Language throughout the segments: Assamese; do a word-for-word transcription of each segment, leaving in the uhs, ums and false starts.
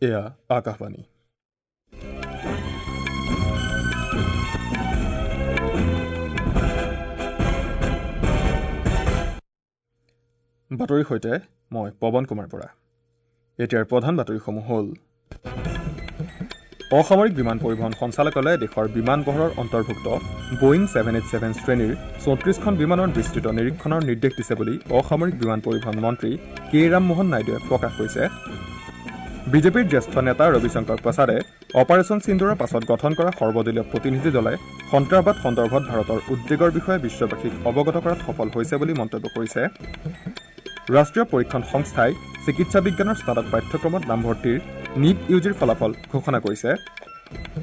এয়া আকাশবাণী। বাতৰিৰ সৈতে মই পৱন কুমাৰ বৰা। এতিয়াৰ প্ৰধান বাতৰিসমূহ হ'ল: অসামৰিক বিমান পৰিবহণ সঞ্চালকালয়ে দেশৰ বিমান বহৰৰ অন্তৰ্ভুক্ত বোয়িং ছেভেন এইট ছেভেন শ্ৰেণীৰ চৌত্ৰিছখন বিমানৰ বিস্তৃত নিৰীক্ষণৰ নিৰ্দেশ দিছে বুলি অসামৰিক বিমান পৰিবহণ মন্ত্ৰী কে ৰামমোহন নাইডুৱে প্ৰকাশ কৰিছে। বিজেপিৰ জ্যেষ্ঠ নেতা ৰবিশংকৰ প্ৰসাদে অপাৰেচন সিন্দুৰৰ পাছত গঠন কৰা সৰ্বদলীয় প্ৰতিনিধি দলে সন্ত্ৰাসবাদ সন্দৰ্ভত ভাৰতৰ উদ্বেগৰ বিষয়ে বিশ্ববাসীক অৱগত কৰাত সফল হৈছে বুলি মন্তব্য কৰিছে। ৰাষ্ট্ৰীয় পৰীক্ষণ সংস্থাই চিকিৎসা বিজ্ঞানৰ স্নাতক পাঠ্যক্ৰমত নামভৰ্তিৰ নীট ইউ জিৰ ফলাফল ঘোষণা কৰিছে।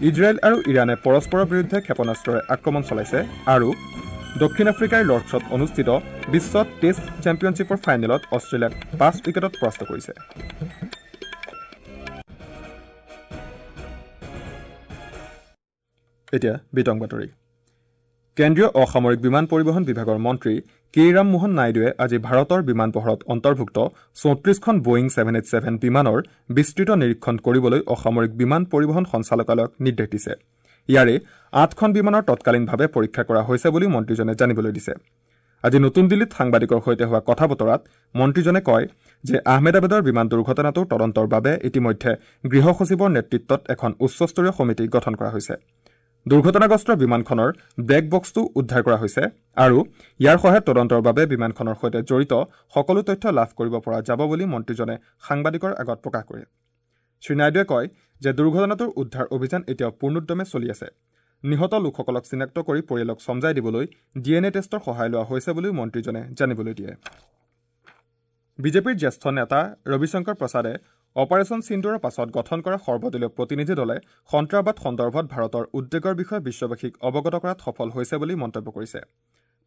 ইজৰাইল আৰু ইৰাণে পৰস্পৰৰ বিৰুদ্ধে ক্ষেপণাস্ত্ৰৰে আক্ৰমণ চলাইছে আৰু দক্ষিণ আফ্ৰিকাৰ লৰ্ডছত অনুষ্ঠিত বিশ্ব টেষ্ট চেম্পিয়নশ্বিপৰ ফাইনেলত অষ্ট্ৰেলিয়াক পাঁচ উইকেটত পৰাস্ত কৰিছে। এতিয়া বিতং বাতৰি। কেন্দ্ৰীয় অসামৰিক বিমান পৰিবহণ বিভাগৰ মন্ত্ৰী কে ৰামমোহন নাইডুৱে আজি ভাৰতৰ বিমান বহৰত অন্তৰ্ভুক্ত চৌত্ৰিছখন বোয়িং ছেভেন এইট ছেভেন বিমানৰ বিস্তৃত নিৰীক্ষণ কৰিবলৈ অসামৰিক বিমান পৰিবহণ সঞ্চালকালয়ক নিৰ্দেশ দিছে। ইয়াৰে আঠখন বিমানৰ তৎকালীনভাৱে পৰীক্ষা কৰা হৈছে বুলি মন্ত্ৰীজনে জানিবলৈ দিছে। আজি নতুন দিল্লীত সাংবাদিকৰ সৈতে হোৱা কথা বতৰাত মন্ত্ৰীজনে কয় যে আহমেদাবাদৰ বিমান দুৰ্ঘটনাটোৰ তদন্তৰ বাবে ইতিমধ্যে গৃহ সচিবৰ নেতৃত্বত এখন উচ্চস্তৰীয় সমিতি গঠন কৰা হৈছে। দুৰ্ঘটনাগ্ৰস্ত বিমানখনৰ ব্লেক বক্সটো উদ্ধাৰ কৰা হৈছে আৰু ইয়াৰ সহায়ত তদন্তৰ বাবে বিমানখনৰ সৈতে জড়িত সকলো তথ্য লাভ কৰিব পৰা যাব বুলি মন্ত্ৰীজনে সাংবাদিকৰ আগত প্ৰকাশ কৰে। শ্ৰীনাইডুৱে কয় যে দুৰ্ঘটনাটোৰ উদ্ধাৰ অভিযান এতিয়াও পূৰ্ণোদ্যমে চলি আছে। নিহত লোকসকলক চিনাক্ত কৰি পৰিয়ালক চমজাই দিবলৈ ডি এন এ টেষ্টৰ সহায় লোৱা হৈছে বুলিও মন্ত্ৰীজনে জানিবলৈ দিয়ে। বিজেপিৰ জ্যেষ্ঠ নেতা ৰবিশংকৰ প্ৰসাদে অপাৰেচন সিন্দুৰৰ পাছত গঠন কৰা সৰ্বদলীয় প্ৰতিনিধি দলে সন্ত্ৰাসবাদ সন্দৰ্ভত ভাৰতৰ উদ্বেগৰ বিষয়ে বিশ্ববাসীক অৱগত কৰাত সফল হৈছে বুলি মন্তব্য কৰিছে।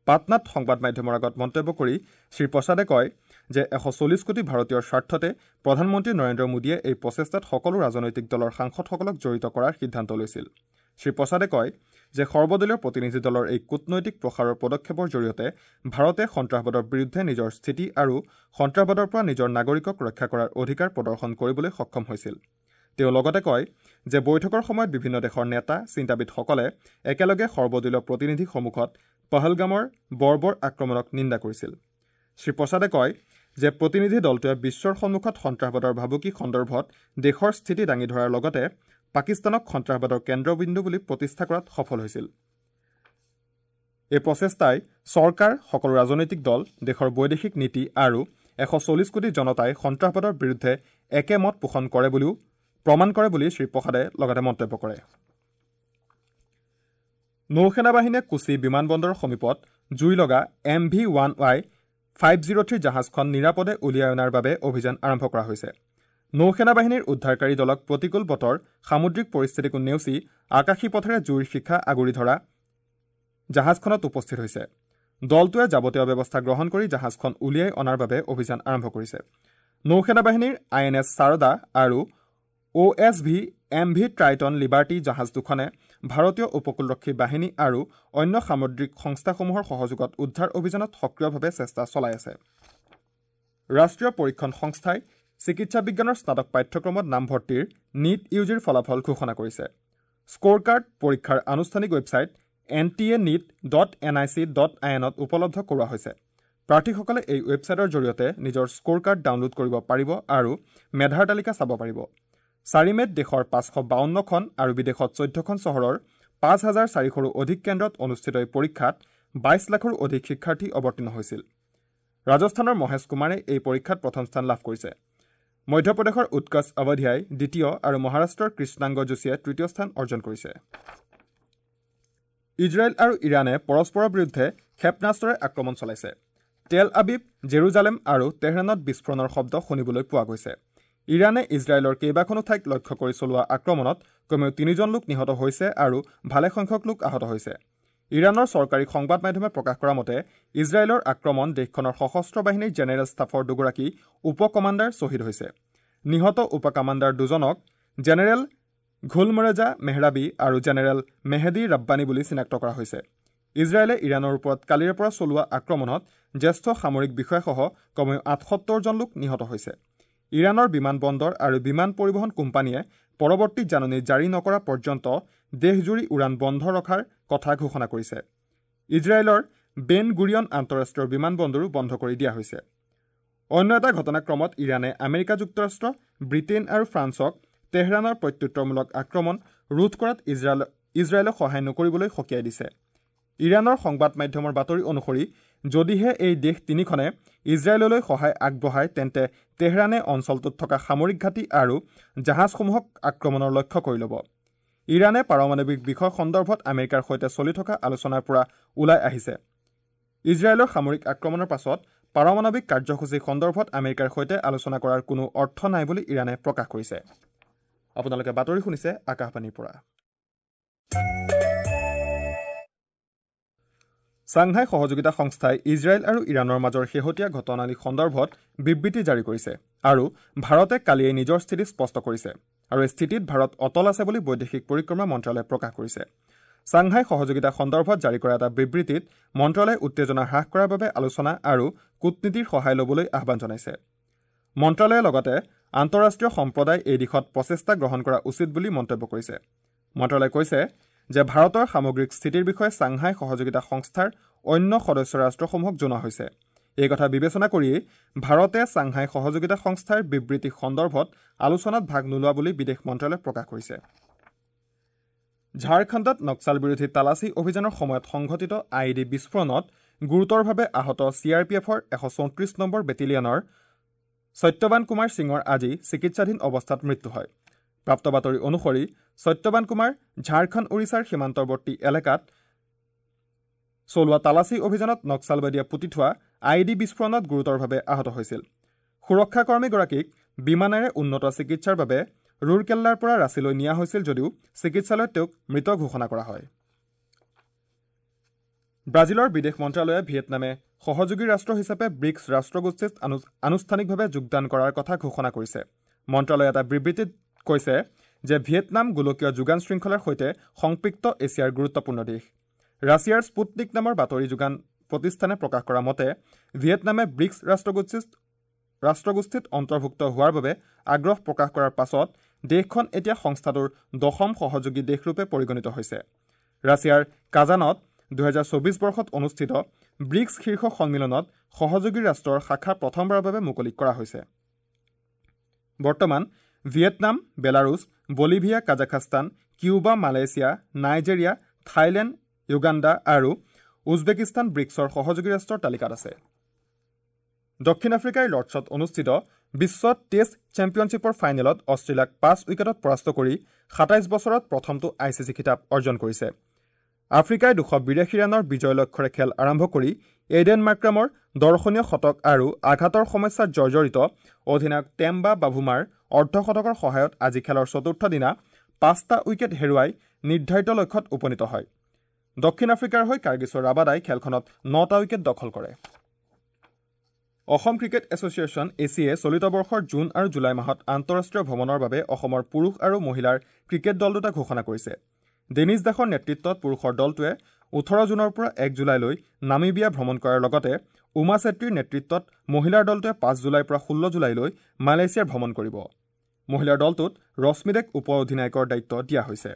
পাটনাত সংবাদ মাধ্যমৰ আগত মন্তব্য কৰি শ্ৰীপ্ৰসাদে কয় যে এশ চল্লিছ কোটি ভাৰতীয়ৰ স্বাৰ্থতে প্ৰধানমন্ত্ৰী নৰেন্দ্ৰ মোদীয়ে এই প্ৰচেষ্টাত সকলো ৰাজনৈতিক দলৰ সাংসদসকলক জড়িত কৰাৰ সিদ্ধান্ত লৈছিল। শ্ৰীপ্ৰসাদে কয় যে সৰ্বদলীয় প্ৰতিনিধি দলৰ এই কূটনৈতিক প্ৰসাৰৰ পদক্ষেপৰ জৰিয়তে ভাৰতে সন্ত্ৰাসবাদৰ বিৰুদ্ধে নিজৰ স্থিতি আৰু সন্ত্ৰাসবাদৰ পৰা নিজৰ নাগৰিকক ৰক্ষা কৰাৰ অধিকাৰ প্ৰদৰ্শন কৰিবলৈ সক্ষম হৈছিল। তেওঁ লগতে কয় যে বৈঠকৰ সময়ত বিভিন্ন দেশৰ নেতা চিন্তাবিদসকলে একেলগে সৰ্বদলীয় প্ৰতিনিধিৰ সন্মুখত পহলগামৰ বৰ্বৰ আক্ৰমণক নিন্দা কৰিছিল। শ্ৰীপ্ৰসাদে কয় যে প্ৰতিনিধি দলটোৱে বিশ্বৰ সন্মুখত সন্ত্ৰাসবাদৰ ভাবুকি সন্দৰ্ভত দেশৰ স্থিতি দাঙি ধৰাৰ লগতে পাকিস্তানক সন্ত্ৰাসবাদৰ কেন্দ্ৰবিন্দু বুলি প্ৰতিষ্ঠা কৰাত সফল হৈছিল। এই প্ৰচেষ্টাই চৰকাৰ, সকলো ৰাজনৈতিক দল, দেশৰ বৈদেশিক নীতি আৰু এশ চল্লিছ কোটি জনতাই সন্ত্ৰাসবাদৰ বিৰুদ্ধে একেমত পোষণ কৰে বুলিও প্ৰমাণ কৰে বুলি শ্ৰীপ্ৰসাদে লগতে মন্তব্য কৰে। নৌসেনা বাহিনীয়ে কোচি বিমানবন্দৰৰ সমীপত জুই লগা M V one Y five zero three জাহাজখন নিৰাপদে উলিয়াই অনাৰ বাবে অভিযান আৰম্ভ কৰা হৈছে। নৌসেনা বাহিনীৰ উদ্ধাৰকাৰী দলক প্ৰতিকূল বতৰ, সামুদ্ৰিক পৰিস্থিতিকো নেওচি আকাশী পথেৰে জুইৰ শিখা আগুৰি ধৰা জাহাজখনত উপস্থিত হৈছে। দলটোৱে যাৱতীয় ব্যৱস্থা গ্ৰহণ কৰি জাহাজখন উলিয়াই অনাৰ বাবে অভিযান আৰম্ভ কৰিছে। নৌসেনা বাহিনীৰ আই এন এছ শাৰদা আৰু O S V M V Triton Liberty জাহাজ দুখনে ভাৰতীয় উপকূলৰক্ষী বাহিনী আৰু অন্য সামুদ্ৰিক সংস্থাসমূহৰ সহযোগত উদ্ধাৰ অভিযানত সক্ৰিয়ভাৱে চেষ্টা চলাই আছে। ৰাষ্ট্ৰীয় পৰীক্ষণ সংস্থাই চিকিৎসা বিজ্ঞানৰ স্নাতক পাঠ্যক্ৰমত নামভৰ্তিৰ নীট ইউ জিৰ ফলাফল ঘোষণা কৰিছে। স্ক'ৰ কাৰ্ড পৰীক্ষাৰ আনুষ্ঠানিক website N T A NEET dot N I C dot I এনত উপলব্ধ কৰোৱা হৈছে। প্ৰাৰ্থীসকলে এই ৱেবছাইটৰ জৰিয়তে নিজৰ স্ক'ৰ কাৰ্ড ডাউনলোড কৰিব পাৰিব আৰু মেধাৰ তালিকা চাব পাৰিব। চাৰি মে'ত দেশৰ পাঁচশ বাৱন্নখন আৰু বিদেশত চৈধ্যখন চহৰৰ পাঁচ হাজাৰ চাৰিশৰো অধিক কেন্দ্ৰত অনুষ্ঠিত এই পৰীক্ষাত বাইছ লাখৰো অধিক শিক্ষাৰ্থী অৱতীৰ্ণ হৈছিল। ৰাজস্থানৰ মহেশ কুমাৰে এই পৰীক্ষাত প্ৰথম স্থান লাভ কৰিছে। মধ্যপ্ৰদেশৰ উৎকৰ্ষ অৱধিয়াই দ্বিতীয় আৰু মহাৰাষ্ট্ৰৰ কৃষ্ণাংগ যোশীয়ে তৃতীয় স্থান অৰ্জন কৰিছে। ইজৰাইল আৰু ইৰাণে পৰস্পৰৰ বিৰুদ্ধে ক্ষেপণাস্ত্ৰৰে আক্ৰমণ চলাইছে। তেল আবিব, জেৰুজালেম আৰু তেহৰাণত বিস্ফোৰণৰ শব্দ শুনিবলৈ পোৱা গৈছে। ইৰাণে ইজৰাইলৰ কেইবাখনো ঠাইক লক্ষ্য কৰি চলোৱা আক্ৰমণত কমেও তিনিজন লোক নিহত হৈছে আৰু ভালেসংখ্যক লোক আহত হৈছে। ইৰাণৰ চৰকাৰী সংবাদ মাধ্যমে প্ৰকাশ কৰা মতে ইজৰাইলৰ আক্ৰমণ দেশখনৰ সশস্ত্ৰ বাহিনীৰ জেনেৰেল ষ্টাফৰ দুগৰাকী উপ কমাণ্ডাৰ শ্বহীদ হৈছে। নিহত উপ কমাণ্ডাৰ দুজনক জেনেৰেল ঘুলমৰেজা মেহৰাবী আৰু জেনেৰেল মেহেদী ৰাব্বানী বুলি চিনাক্ত কৰা হৈছে। ইজৰাইলে ইৰাণৰ ওপৰত কালিৰে পৰা চলোৱা আক্ৰমণত জ্যেষ্ঠ সামৰিক বিষয়াসহ কমেও আঠসত্তৰজন লোক নিহত হৈছে। ইৰাণৰ বিমান বন্দৰ আৰু বিমান পৰিবহণ কোম্পানীয়ে পৰৱৰ্তী জাননী জাৰি নকৰা পৰ্যন্ত দেশজুৰি উৰাণ বন্ধ ৰখাৰ কথা ঘোষণা কৰিছে। ইজৰাইলৰ বেন গুৰিয়ন আন্তঃৰাষ্ট্ৰীয় বিমান বন্দৰো বন্ধ কৰি দিয়া হৈছে। অন্য এটা ঘটনাক্ৰমত ইৰাণে আমেৰিকা যুক্তৰাষ্ট্ৰ, ব্ৰিটেইন আৰু ফ্ৰান্সক তেহৰাণৰ প্ৰত্যুত্তৰমূলক আক্ৰমণ ৰোধ কৰাত ইজৰাইল ইজৰাইলক সহায় নকৰিবলৈ সকীয়াই দিছে। ইৰাণৰ সংবাদ মাধ্যমৰ বাতৰি অনুসৰি যদিহে এই দেশ তিনিখনে ইজৰাইললৈ সহায় আগবঢ়ায় তেন্তে তেহৰাণে অঞ্চলটোত থকা সামৰিক ঘাটি আৰু জাহাজসমূহক আক্ৰমণৰ লক্ষ্য কৰি ল'ব। ইৰাণে পাৰমাণৱিক বিষয় সন্দৰ্ভত আমেৰিকাৰ সৈতে চলি থকা আলোচনাৰ পৰা ওলাই আহিছে। ইজৰাইলৰ সামৰিক আক্ৰমণৰ পাছত পাৰমাণৱিক কাৰ্যসূচী সন্দৰ্ভত আমেৰিকাৰ সৈতে আলোচনা কৰাৰ কোনো অৰ্থ নাই বুলি ইৰাণে প্ৰকাশ কৰিছে। আপোনালোকে বাতৰি শুনিছে আকাশবাণীৰ পৰা। ছাংহাই সহযোগিতা সংস্থাই ইজৰাইল আৰু ইৰাণৰ মাজৰ শেহতীয়া ঘটনাৱলী সন্দৰ্ভত বিবৃতি জাৰি কৰিছে আৰু ভাৰতে কালিয়েই নিজৰ স্থিতি স্পষ্ট কৰিছে আৰু এই স্থিতিত ভাৰত অটল আছে বুলি বৈদেশিক পৰিক্ৰমা মন্ত্ৰালয়ে প্ৰকাশ কৰিছে। ছাংহাই সহযোগিতা সন্দৰ্ভত জাৰি কৰা এটা বিবৃতিত মন্ত্ৰালয়ে উত্তেজনা হ্ৰাস কৰাৰ বাবে আলোচনা আৰু কূটনীতিৰ সহায় ল'বলৈ আহ্বান জনাইছে। মন্ত্ৰালয়ে লগতে আন্তঃৰাষ্ট্ৰীয় সম্প্ৰদায় এই দিশত প্ৰচেষ্টা গ্ৰহণ কৰা উচিত বুলি মন্তব্য কৰিছে। মন্ত্ৰালয়ে কৈছে যে ভাৰতৰ সামগ্ৰিক স্থিতিৰ বিষয়ে ছাংহাই সহযোগিতা সংস্থাৰ অন্য সদস্য ৰাষ্ট্ৰসমূহক জনোৱা হৈছে। এই কথা বিবেচনা কৰিয়েই ভাৰতে ছাংহাই সহযোগিতা সংস্থাৰ বিবৃতি সন্দৰ্ভত আলোচনাত ভাগ নোলোৱা বুলি বিদেশ মন্ত্ৰালয়ে প্ৰকাশ কৰিছে। ঝাৰখণ্ডত নক্সাল বিৰোধী তালাচী অভিযানৰ সময়ত সংঘটিত I E D বিস্ফোৰণত গুৰুতৰভাৱে আহত চি আৰ পি এফৰ এশ চৌত্ৰিছ নম্বৰ বেটেলিয়নৰ সত্যবান কুমাৰ সিঙৰ আজি চিকিৎসাধীন অৱস্থাত মৃত্যু হয়। প্ৰাপ্ত বাতৰি অনুসৰি সত্যবান কুমাৰ ঝাৰখণ্ড ওড়িশাৰ সীমান্তৱৰ্তী এলেকাত চলোৱা তালাচী অভিযানত নক্সালবাদীয়ে পুতি থোৱা I E D বিস্ফোৰণত গুৰুতৰভাৱে আহত হৈছিল। সুৰক্ষাকৰ্মীগৰাকীক বিমানেৰে উন্নত চিকিৎসাৰ বাবে ৰুৰকেল্লাৰ পৰা ৰাঁচীলৈ নিয়া হৈছিল যদিও চিকিৎসালয়ত তেওঁক মৃত ঘোষণা কৰা হয়। ব্ৰাজিলৰ বিদেশ মন্ত্ৰালয়ে ভিয়েটনামে সহযোগী ৰাষ্ট্ৰ হিচাপে ব্ৰিক্স ৰাষ্ট্ৰগোষ্ঠীত আনুষ্ঠানিকভাৱে যোগদান কৰাৰ কথা ঘোষণা কৰিছে। মন্ত্ৰালয়ে এটা বিবৃতিত কৈছে যে ভিয়েটনাম গোলকীয় যোগান শৃংখলাৰ সৈতে সংপৃক্ত এছিয়াৰ গুৰুত্বপূৰ্ণ দেশ। ৰাছিয়াৰ স্পুটনিক নামৰ বাতৰি যোগান প্ৰতিষ্ঠানে প্ৰকাশ কৰা মতে ভিয়েটনামে ব্ৰিক্স ৰাষ্ট্ৰগোষ্ঠীত ৰাষ্ট্ৰগোষ্ঠীত অন্তৰ্ভুক্ত হোৱাৰ বাবে আগ্ৰহ প্ৰকাশ কৰাৰ পাছত দেশখন এতিয়া সংস্থাটোৰ দশম সহযোগী দেশৰূপে পৰিগণিত হৈছে। ৰাছিয়াৰ কাজানত দুহেজাৰ চৌবিছ বৰ্ষত অনুষ্ঠিত ব্ৰিক্স শীৰ্ষ সন্মিলনত সহযোগী ৰাষ্ট্ৰৰ শাখা প্ৰথমবাৰৰ বাবে মুকলি কৰা হৈছে। বৰ্তমান Vietnam, Belarus, Bolivia, Kazakhstan, Cuba, Malaysia, Nigeria, Thailand, Uganda আৰু উজবেকিস্তান ব্ৰিক্সৰ সহযোগী ৰাষ্ট্ৰৰ তালিকাত আছে। দক্ষিণ আফ্ৰিকাৰ লৰ্ডছত অনুষ্ঠিত বিশ্ব টেষ্ট চেম্পিয়নশ্বিপৰ ফাইনেলত অষ্ট্ৰেলিয়াক পাঁচ উইকেটত পৰাস্ত কৰি সাতাইছ বছৰত প্ৰথমটো I C C খিতাপ অৰ্জন কৰিছে। আফ্ৰিকাই দুশ বিৰাশী ৰানৰ বিজয় লক্ষ্যৰে খেল আৰম্ভ কৰি এইডেন মাৰ্ক্ৰামৰ দৰ্শনীয় শতক আৰু আঘাতৰ সমস্যাত জৰ্জৰিত অধিনায়ক টেম্বা বাভুমাৰ অৰ্ধশতকৰ সহায়ত আজি খেলৰ চতুৰ্থ দিনা পাঁচটা উইকেট হেৰুৱাই নিৰ্ধাৰিত লক্ষ্যত উপনীত হয়। দক্ষিণ আফ্ৰিকাৰ হৈ কাৰ্গিছৰ ৰাবাদাই খেলখনত নটা উইকেট দখল কৰে। Assam cricket association A C A চলিত বৰ্ষৰ জুন আৰু জুলাই মাহত আন্তঃৰাষ্ট্ৰীয় ভ্ৰমণৰ বাবে অসমৰ পুৰুষ আৰু মহিলাৰ ক্ৰিকেট দল দুটা ঘোষণা কৰিছে। ডেনিছ দাসৰ নেতৃত্বত পুৰুষৰ দলটোৱে ওঠৰ জুনৰ পৰা এক জুলাইলৈ নামিবিয়া ভ্ৰমণ কৰাৰ লগতে উমা চেত্ৰীৰ নেতৃত্বত মহিলাৰ দলটোৱে পাঁচ জুলাইৰ পৰা ষোল্ল জুলাইলৈ মালয়েছিয়াৰ ভ্ৰমণ কৰিব। মহিলাৰ দলটোত ৰশ্মি দেক উপ অধিনায়কৰ দায়িত্ব দিয়া হৈছে।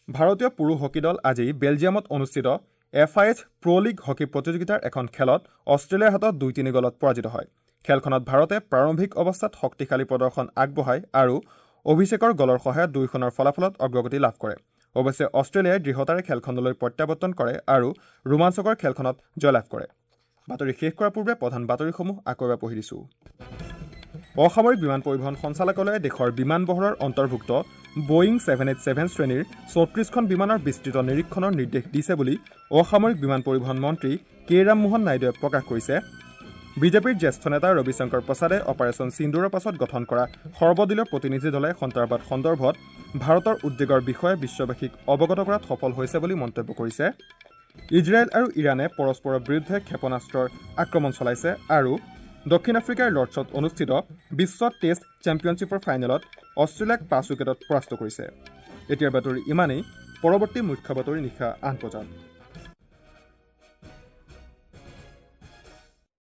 ভাৰতীয় পুৰুষ হকী দল আজি বেলজিয়ামত অনুষ্ঠিত F I H pro league hockey প্ৰতিযোগিতাৰ এখন খেলত অষ্ট্ৰেলিয়াৰ হাতত দুই তিনি গ'লত পৰাজিত হয়। খেলখনত ভাৰতে প্ৰাৰম্ভিক অৱস্থাত শক্তিশালী প্ৰদৰ্শন আগবঢ়ায় আৰু অভিষেকৰ গ'লৰ সহায়ত দুয়োখনৰ ফলাফলত অগ্ৰগতি লাভ কৰে। অৱশ্যে অষ্ট্ৰেলিয়াই দৃঢ়তাৰে খেলখনলৈ প্ৰত্যাৱৰ্তন কৰে আৰু ৰোমাঞ্চকৰ খেলখনত জয়লাভ কৰে। বাতৰি শেষ কৰাৰ পূৰ্বে প্ৰধান বাতৰিসমূহ আকৌ এবাৰ পঢ়ি দিছোঁ। অসামৰিক বিমান পৰিবহণ সঞ্চালকালয়ে দেশৰ বিমান বহৰৰ অন্তৰ্ভুক্ত বোয়িং ছেভেন এইট ছেভেন শ্ৰেণীৰ চৌত্ৰিছখন বিমানৰ বিস্তৃত নিৰীক্ষণৰ নিৰ্দেশ দিছে বুলি অসামৰিক বিমান পৰিবহণ মন্ত্ৰী কে ৰামমোহন নাইডুৱে প্ৰকাশ কৰিছে। বিজেপিৰ জ্যেষ্ঠ নেতা ৰবিশংকৰ প্ৰসাদে অপাৰেচন সিন্দুৰৰ পাছত গঠন কৰা সৰ্বদলীয় প্ৰতিনিধি দলে সন্ত্ৰাসবাদ সন্দৰ্ভত ভাৰতৰ উদ্বেগৰ বিষয়ে বিশ্ববাসীক অৱগত কৰাত সফল হৈছে বুলি মন্তব্য কৰিছে। ইজৰাইল আৰু ইৰাণে পৰস্পৰৰ বিৰুদ্ধে ক্ষেপণাস্ত্ৰৰ আক্ৰমণ চলাইছে আৰু দক্ষিণ আফ্ৰিকাৰ লৰ্ডছত অনুষ্ঠিত বিশ্ব টেষ্ট চেম্পিয়নশ্বিপৰ ফাইনেলত অষ্ট্ৰেলিয়াক পাঁচ উইকেটত পৰাস্ত কৰিছে। এতিয়াৰ বাতৰি ইমানেই। পৰৱৰ্তী মুখ্য বাতৰি নিশা আঠ বজাত।